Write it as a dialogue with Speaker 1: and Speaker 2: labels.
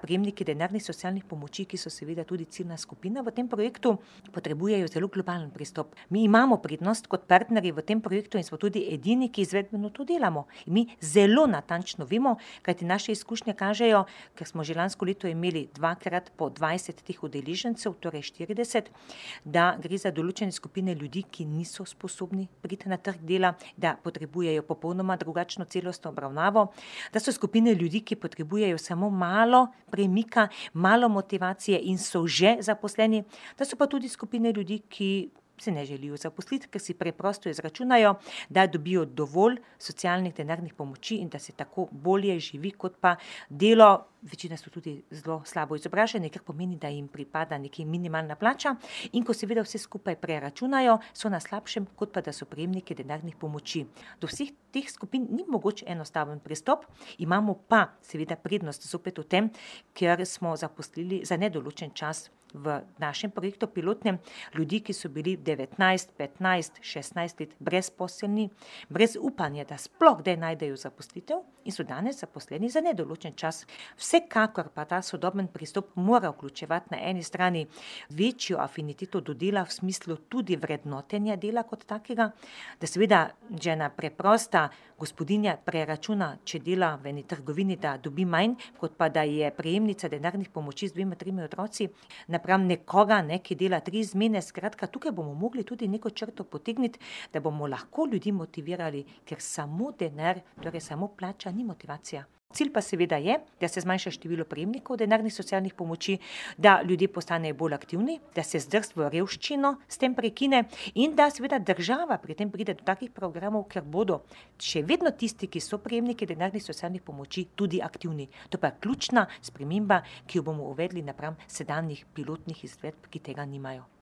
Speaker 1: prejemniki denarnih socialnih pomoči, ki so seveda tudi ciljna skupina v tem projektu, potrebujejo zelo globalen pristop. Mi imamo prednost kot partnerji v tem projektu in smo tudi edini, ki izvedbeno to delamo. In mi zelo natančno vemo, kajti naše izkušnje kažejo, ker smo že lansko leto imeli 2x po 20 teh udeležencev, torej 40, da gre za določene skupine ljudi, ki niso sposobni priti na trg dela, da potrebujejo popolnoma drugačno celostno obravnavo, da so skupine ljudi, ki potrebujejo samo malo premika, malo motivacije in so že zaposleni, da so pa tudi skupine ljudi, ki se ne želijo zaposliti, ker si preprosto izračunajo, da dobijo dovolj socialnih denarnih pomoči in da se tako bolje živi, kot pa delo. Večina so tudi zelo slabo izobraženi, kar pomeni, da jim pripada nekaj minimalna plača in ko seveda vse skupaj preračunajo, so na slabšem, kot pa da so prejemniki denarnih pomoči. Do vseh teh skupin ni mogoč enostaven pristop, imamo pa seveda prednost zopet v tem, ker smo zaposlili za nedoločen čas v našem projektu pilotnem ljudi, ki so bili 19, 15, 16 let brezposelni, brez upanja, da sploh kdaj najdejo zaposlitev in so danes zaposleni za nedoločen čas. Vsekakor pa ta sodoben pristop mora vključevati na eni strani večjo afiniteto do dela v smislu tudi vrednotenja dela kot takega, da seveda že ena preprosta gospodinja preračuna, če dela v eni trgovini, da dobi manj, kot pa da je prejemnica denarnih pomoči z 2-3 otroci, napram nekoga, ki dela 3 izmene. Skratka, tukaj bomo mogli tudi neko črto potegniti, da bomo lahko ljudi motivirali, ker samo denar, torej samo plača, ni motivacija. Cilj pa seveda je, da se zmanjša število prejemnikov denarnih socialnih pomoči, da ljudje postanejo bolj aktivni, da se zdrst v revščino s tem prekine in da seveda država pri tem pride do takih programov, ker bodo še vedno tisti, ki so prejemniki denarnih socialnih pomoči, tudi aktivni. To pa je ključna sprememba, ki jo bomo uvedli napram sedanjih pilotnih izvedb, ki tega nimajo.